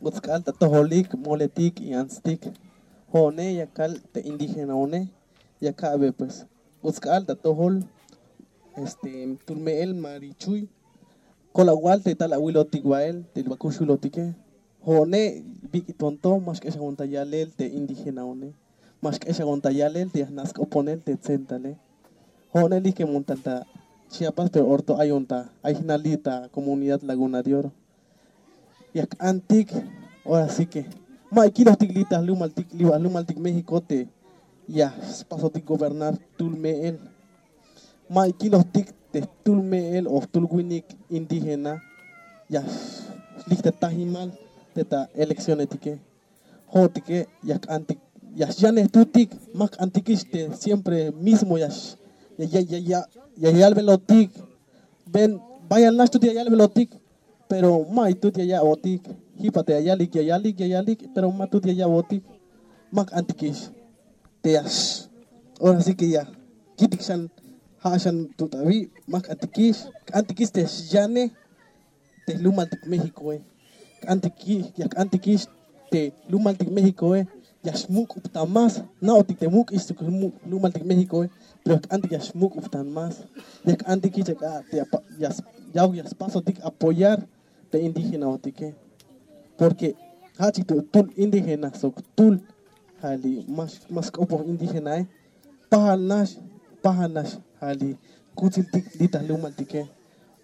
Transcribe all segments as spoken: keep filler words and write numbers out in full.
Utsk'al ta tojolik moletik y antstik. Jo'one ya kal te indigenaone, ya ka'be pues. Utsk'al ta tojol este tul me'el ma ri chuy. Kol awal te tal awilotik bael te bakuxulotike. Jo'one bik'iton to ma xk'exawon ta yalel te indigenaone, ma xk'exawon ta yalel te ya jna' sk'oponel te tsentale. Jo'one lij kemon tal ta Chiapas pero orto ayon ta ay jna' li' ta komunidad Laguna de Oro. Ya k'antik. Ora si ke ma ikilojtik li' ta jlumaltik li' ba jlumaltik México te ya spasotik gobernar tul me'el. Ma ikilojtik te jtul me'el o jtul winik indígena ya xlij te tajimal te ta eleccionetike. Jo'otike ya jk'antik, ya xyanejtutik. Ma jk'antikix te siempre mismo ya ya ya ya yalbelotik. Ven, bayal nax tut ya yalbelotik. Pero ma tut ya ya'botik. Jipa te ya yalik ya yalik ya yalik pero ma tut ya ya'botik. Ma jk'antikix te ya ora si ke ya kitik xan ja' xan tut abi. Ma jk'antikix. K'antikix te xyanej te jlumaltik Méxicoe. K'antikix ya k'antikix te jlumaltik Méxicoe. Ya xmuk'ub ta más. Na'otik te muk'ix jlumaltik Méxicoe. Pero ya k'antik ya xmuk'ub ta más. Ya k'antikix ya k'a te ya ya'ok ya spasotik apoyar te indígenaotike. Porque ja' chik tul indígena sok tul ja' li' ma sk'opoj indígenae. Pajal nax pajal nax ja' li kutsiltik li ta jlumaltike.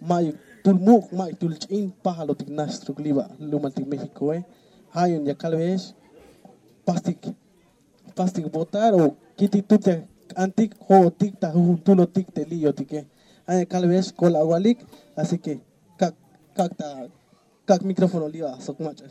Mayuk tul muk' mayuk tul ch'in pajalotik nax sok li ba jlumaltik Méxicoe. Ja' yu'un ya kalbeyex pastik pastik votar o kitik tut ya k'antik jo'otik ta jujuntulotik te li'yotike. Ja' ya kalbeyex kol awalik. Así ke kak' kak' ta kak' micrófono li' ba sok mach'a